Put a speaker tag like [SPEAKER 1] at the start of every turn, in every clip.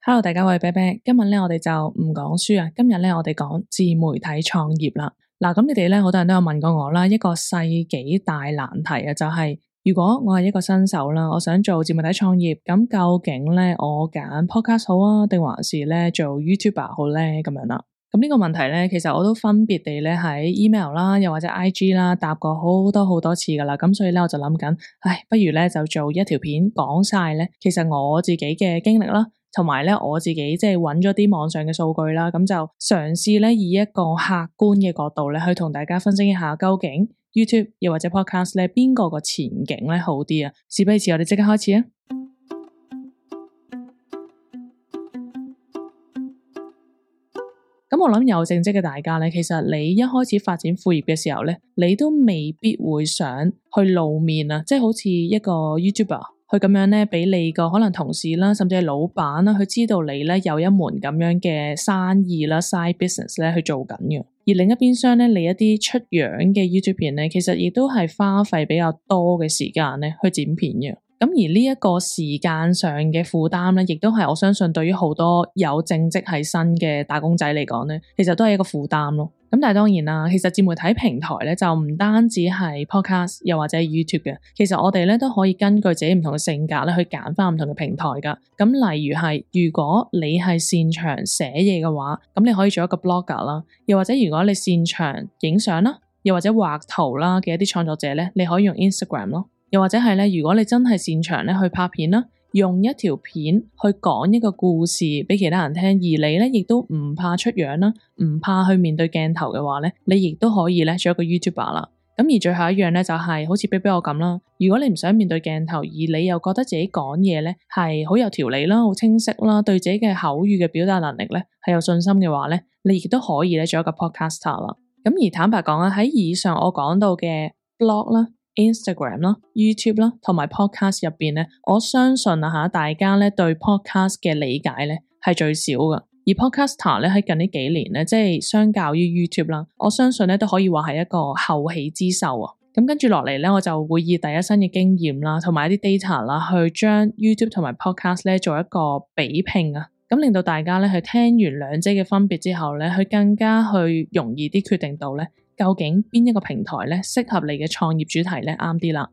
[SPEAKER 1] Hello，大家好，我係啤啤。今日咧，我哋就唔講書啊。今日咧，我哋講自媒體創業啦。嗱，咁你哋咧，好多人都有問過我啦，一個世紀大難題啊，就係如果我係一個新手啦，我想做自媒體創業，咁究竟咧，我揀 podcast 好啊，定還是咧做 YouTuber 好咧？咁樣啦。咁呢個問題咧，其實我都分別地咧喺 email 啦，又或者 IG 啦，答過好多次噶啦。咁所以咧，我就諗緊，不如咧就做一條片講晒咧，其實我自己嘅經歷啦。同埋咧，我自己即係揾咗啲網上嘅數據啦，咁就嘗試咧以一個客觀嘅角度咧，去同大家分析一下究竟 YouTube 又或者 Podcast 咧邊個前景咧好啲啊？事不宜遲，我哋即刻開始啊！咁我諗有正職嘅大家咧，其實你一開始發展副業嘅時候咧，你都未必會想去露面啊，即係好似一個 YouTuber。佢咁樣咧，俾你個可能同事啦，甚至係老闆啦，佢知道你咧有一門咁樣嘅生意啦 side business 咧去做緊嘅。而另一邊廂咧，你一啲出樣嘅 YouTube 片咧，其實亦都係花費比較多嘅時間咧去剪片嘅。咁而呢一個時間上嘅負擔咧，亦都係我相信對於好多有正職喺身嘅打工仔嚟講咧，其實都係一個負擔咯。咁但係當然啦，其實自媒體平台咧就唔單止係 podcast 又或者係 YouTube 嘅，其實我哋咧都可以根據自己唔同嘅性格咧去揀翻唔同嘅平台噶。咁例如係如果你係擅長寫嘢嘅話，咁你可以做一個 blogger 啦，又或者如果你擅長影相啦，又或者畫圖啦嘅一啲創作者咧，你可以用 Instagram 咯。又或者係咧，如果你真係擅長咧去拍片啦，用一條片去講一個故事俾其他人聽，而你咧亦都唔怕出樣啦，唔怕去面對鏡頭嘅話咧，你亦都可以咧做一個 YouTuber 啦。咁而最後一樣咧就係好似啤啤我咁啦，如果你唔想面對鏡頭，而你又覺得自己講嘢咧係好有條理啦，好清晰啦，對自己嘅口語嘅表達能力咧係有信心嘅話咧，你亦都可以咧做一個 podcaster 啦。咁而坦白講啊，喺以上我講到嘅 blog 啦、Instagram 啦、YouTube 啦，同埋 podcast 入邊咧，我相信大家咧對 podcast 嘅理解咧係最少噶。而 podcaster 咧喺近呢幾年咧，即係相較於 YouTube 啦，我相信咧都可以話係一個後起之秀啊。咁跟住落嚟咧，我就會以第一身嘅經驗啦，同埋一啲 data 啦，去將 YouTube 同埋 podcast 咧做一個比拼啊。咁令到大家咧去聽完兩者嘅分別之後咧，去更加去容易啲決定到咧，究竟邊一個平台咧適合你嘅創業主題咧啱啲啦。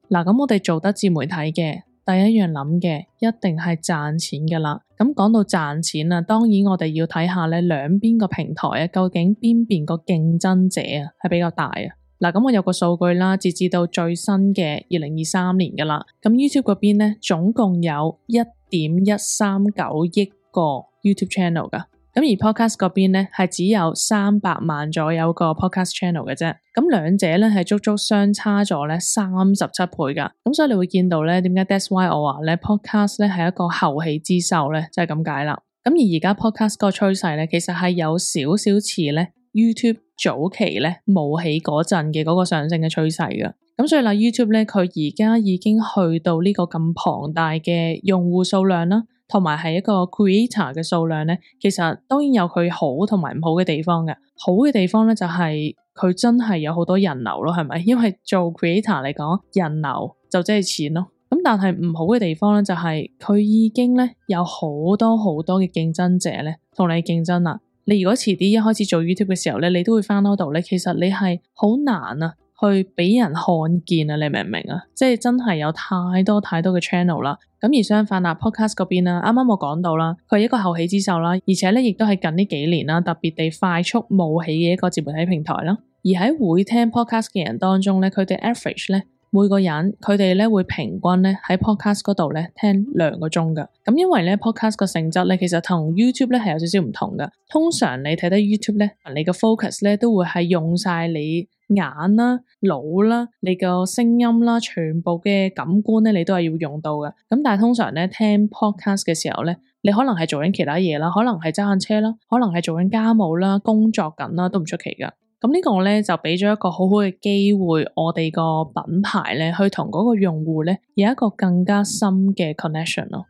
[SPEAKER 1] 嗱，咁我哋做得自媒體嘅第一樣諗嘅一定係賺錢㗎啦。咁講到賺錢啊，當然我哋要睇下咧兩邊個平台啊，究竟邊邊個競爭者啊係比較大啊。嗱，咁我有個數據啦，截至到最新嘅2023年㗎啦。咁 YouTube 嗰邊咧總共有1.139億個 YouTube channel 㗎。咁而 podcast 嗰邊咧係只有300萬左右個 podcast channel 嘅啫，咁兩者咧係足足相差咗咧37倍噶，咁所以你會見到咧點解 that's why 我話咧 podcast 咧係一個後起之秀咧，就係咁解啦。咁而而家 podcast 個趨勢咧，其實係有少少似咧 YouTube 早期咧冒起嗰陣嘅嗰個上升嘅趨勢噶。咁所以啦 YouTube 咧佢而家已經去到呢個咁龐大嘅用戶數量啦，同埋係一個 creator 嘅數量咧，其實當然有佢好同埋唔好嘅地方嘅。好嘅地方咧就係佢真係有好多人流咯，係咪？因為做 creator 嚟講，人流就即係錢咯。咁但係唔好嘅地方咧就係佢已經咧有好多嘅競爭者咧同你競爭啦。你如果遲啲一開始做 YouTube 嘅時候咧，你都會翻嗰度咧，其實你係好難啊去俾人看見啊，你明唔明啊？即係真係有太多嘅 channel 啦。咁而相反podcast 嗰邊啦，啱啱我講到啦，佢係一個後起之秀啦，而且咧亦都係近呢幾年啦，特別地快速冒起嘅一個自媒體平台啦。而喺會聽 podcast 嘅人當中咧，佢哋 average 咧每個人佢哋咧會平均咧喺 podcast 嗰度咧聽2個鐘噶。咁因為咧 podcast 個性質咧其實同 YouTube 咧係有少少唔同噶。通常你睇得 YouTube 咧，你個 focus 咧都會係用晒你眼啦、腦啦、你個聲音啦，全部嘅感官咧，你都係要用到嘅。咁但係通常咧聽 podcast 嘅時候咧，你可能係做緊其他嘢啦，可能係揸緊車啦，可能係做緊家務啦、工作緊啦，都唔出奇噶。咁呢個咧就俾咗一個好好嘅機會，我哋個品牌咧去同嗰個用戶咧有一個更加深嘅 connection 咯。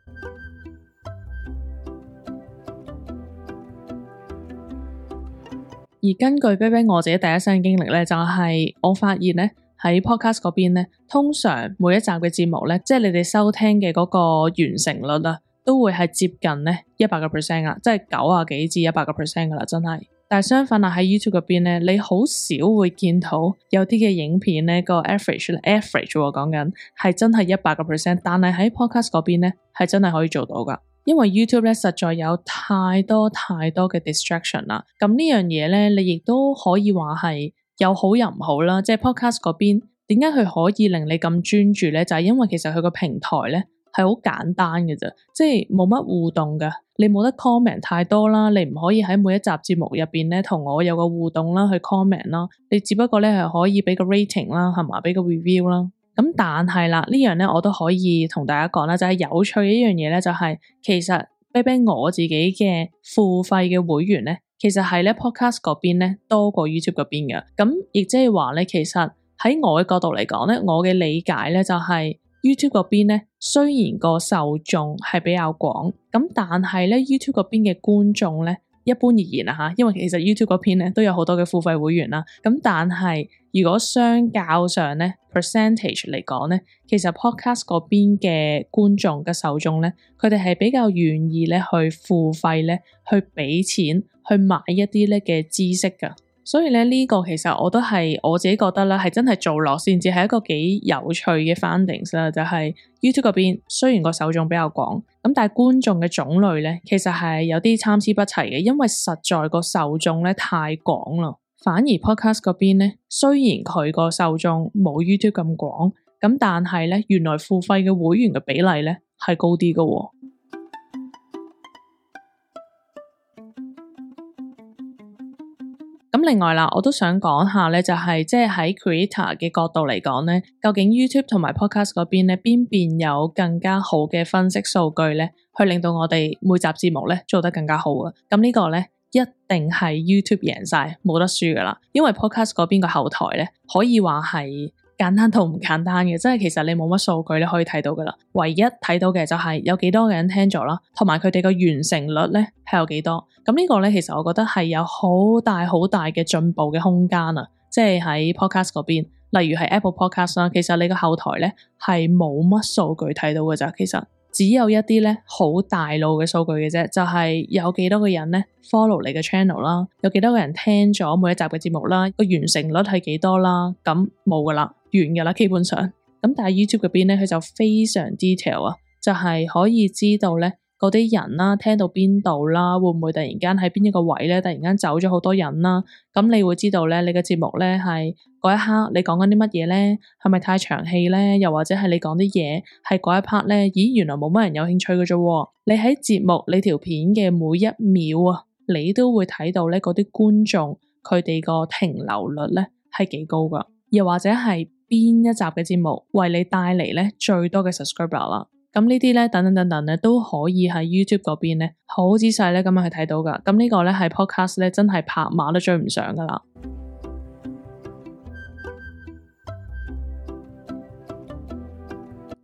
[SPEAKER 1] 而根據啤啤我自己第一身經歷咧，就係我發現咧喺 podcast 嗰邊咧，通常每一集嘅節目咧，即係你哋收聽嘅嗰個完成率啊，都會係接近咧100%啊，即係90幾至100%噶啦，真係。但係相反啊，喺 YouTube 嗰邊咧，你好少會見到有啲嘅影片咧個 average 我講緊係真係100%，但係喺 podcast 嗰邊咧係真係可以做到噶。因為 YouTube 咧實在有太多嘅 distraction 啦，咁呢樣嘢咧你亦都可以話係有好又唔好啦。即係 podcast 嗰邊點解佢可以令你咁專注咧？就係因為其實佢個平台咧係好簡單嘅啫，即係冇乜互動噶，你冇得 comment 太多啦，你唔可以喺每一集節目入邊咧同我有個互動啦，去 comment 啦，你只不過咧係可以俾個 rating 啦，係嘛，俾個 review 啦。咁但係啦，呢樣咧我都可以同大家講啦，就係有趣嘅一樣嘢咧，就係其實啤啤我自己嘅付費嘅會員咧，其實係咧 podcast 嗰邊咧多過 YouTube 嗰邊嘅。咁亦即係話咧，其實喺我嘅角度嚟講咧，我嘅理解咧就係 YouTube 嗰邊咧，雖然個受眾係比較廣，咁但係咧 YouTube 嗰邊嘅觀眾咧，一般而言啊吓，因為其實 YouTube 嗰邊咧都有好多嘅付費會員啦，咁但係如果相較上咧 percentage 嚟講咧，其實 podcast 嗰邊嘅觀眾嘅受眾咧，佢哋係比較願意咧去付費咧，去俾錢去買一啲咧嘅知識噶。所以咧呢個其實我都係我自己覺得啦，係真係做落先至係一個幾有趣嘅 findings 啦。就係 YouTube 嗰邊雖然個受眾比較廣，咁但係觀眾嘅種類咧，其實係有啲參差不齊嘅，因為實在個受眾咧太廣啦。反而 podcast 嗰邊咧，雖然佢個受眾冇 YouTube 咁廣，咁但係咧原來付費嘅會員嘅比例咧係高啲㗎喎。咁另外啦，我都想講下咧，就係即係喺 creator 嘅角度嚟講咧，究竟 YouTube 同埋 podcast 嗰邊咧，邊邊有更加好嘅分析數據咧，去令到我哋每集節目咧做得更加好啊？咁呢個咧一定係 YouTube 贏晒，冇得輸噶啦，因為 podcast 嗰邊個後台咧可以話係簡單到唔簡單嘅，即係其實你冇乜數據你可以睇到噶啦，唯一睇到嘅就係有幾多個人聽咗啦，同埋佢哋個完成率咧係有幾多。咁呢個咧其實我覺得係有好大嘅進步嘅空間啊！即係喺 podcast 嗰邊，例如係 Apple Podcast 啦，其實你個後台咧係冇乜數據睇到嘅咋，其實只有一啲咧好大路嘅數據嘅啫，就係有幾多個人咧 follow 你嘅 channel 啦，有幾多個人聽咗每一集嘅節目啦，個完成率係幾多啦，咁冇噶啦，完噶啦基本上。咁但係 YouTube 嗰邊咧，佢就非常 detail 啊，就係可以知道咧嗰啲人啦，聽到邊度啦，會唔會突然間喺邊一個位咧，突然間走咗好多人啦？咁你會知道咧，你嘅節目咧係嗰一刻你講緊啲乜嘢咧？係咪太長氣咧？又或者係你講啲嘢係嗰一 part 咧？咦，原來冇乜人有興趣嘅啫。你喺節目你條片嘅每一秒啊，你都會睇到咧嗰啲觀眾佢哋個停留率咧係幾高噶，又或者係邊一集嘅節目為你帶嚟咧最多嘅 subscriber 啦。咁呢啲咧，等等咧，都可以喺 YouTube 嗰邊咧，好仔細咧咁樣去睇到噶。咁呢個咧係 podcast 咧，真係拍馬都追唔上噶啦。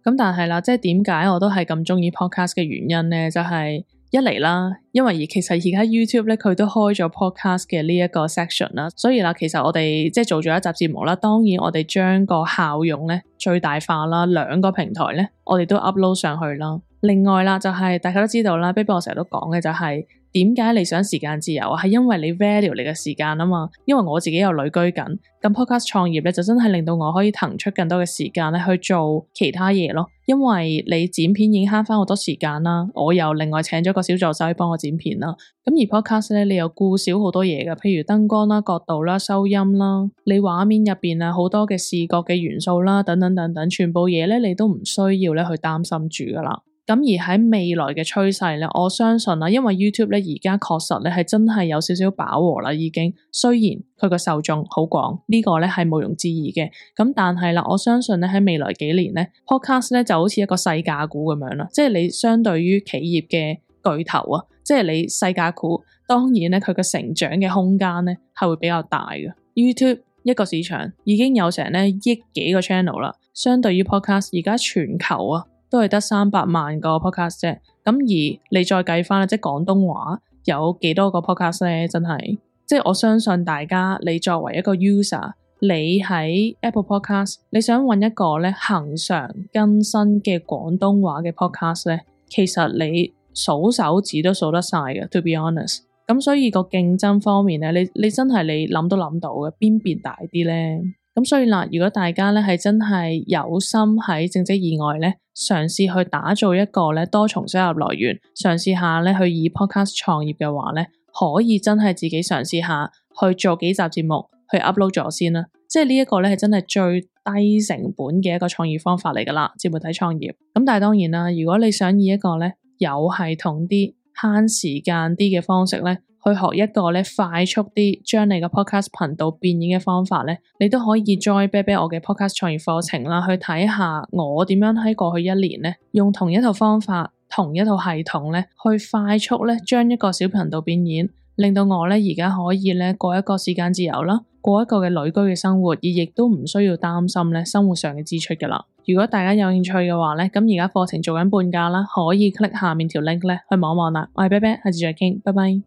[SPEAKER 1] 咁但係啦，即係點解我都係咁中意 podcast 嘅原因咧，就係一嚟啦，因為其實而家 YouTube 咧佢都開咗 podcast 嘅呢一個 section 啦，所以啦，其實我哋即係做咗一集節目啦，當然我哋將個效用咧最大化啦，兩個平台咧我哋都 upload 上去啦。另外啦，就係大家都知道啦，啤啤我成日都講嘅就係點解你想時間自由啊？係因為你 value 你嘅時間啊嘛。因為我自己又旅居緊，咁 podcast 創業咧就真係令到我可以騰出更多嘅時間咧去做其他嘢咯。因為你剪片已經慳翻好多時間啦，我又另外請咗個小助手去幫我剪片啦。咁而 podcast 咧，你又顧少好多嘢㗎，譬如燈光啦、角度啦、收音啦，你畫面入邊啊好多嘅視覺嘅元素啦，等等，全部嘢咧你都唔需要咧去擔心住噶啦。咁而喺未來嘅趨勢咧，我相信啦，因為 YouTube 咧而家確實咧係真係有少少飽和啦，已經。雖然佢個受眾好廣，呢個咧係毋庸置疑嘅。咁但係啦，我相信咧喺未來幾年咧 ，Podcast 咧就好似一個細價股咁樣啦，即係你相對於企業嘅巨頭啊，即係你細價股，當然咧佢嘅成長嘅空間咧係會比較大嘅。YouTube 一個市場已經有成咧億幾個 channel 啦，相對於 Podcast 而家全球啊，都係得300萬個 podcast 啫，咁而你再計翻即係廣東話有幾多個 podcast 咧？真係，即係我相信大家，你作為一個 user，你喺 Apple Podcast， 你想揾一個咧恒常更新嘅廣東話嘅 podcast 咧，其實你數手指都數得晒嘅 ，to be honest。咁所以個競爭方面咧，你真係你諗都諗到嘅，邊邊大啲咧？咁所以嗱，如果大家咧係真係有心喺正職以外咧，嘗試去打造一個咧多重收入來源，嘗試下咧去以 podcast 創業嘅話咧，可以真係自己嘗試下去做幾集節目去 upload 咗先啦。即係呢一個咧係真係最低成本嘅一個創業方法嚟噶啦，自媒體創業。咁但係當然啦，如果你想以一個咧有系統啲、慳時間啲嘅方式咧，去學一個咧快速啲將你個 podcast 頻道變現嘅方法咧，你都可以 join 啤啤我嘅 podcast 創業課程啦，去睇下我點樣喺過去一年咧，用同一套方法、同一套系統咧，去快速咧將一個小頻道變現，令到我咧而家可以咧過一個時間自由啦，過一個嘅旅居嘅生活，而亦都唔需要擔心咧生活上嘅支出噶啦。如果大家有興趣嘅話咧，咁而家課程做緊半價啦，可以 click 下面條 link 咧去望一望啦。我係啤啤，下次再傾，拜拜。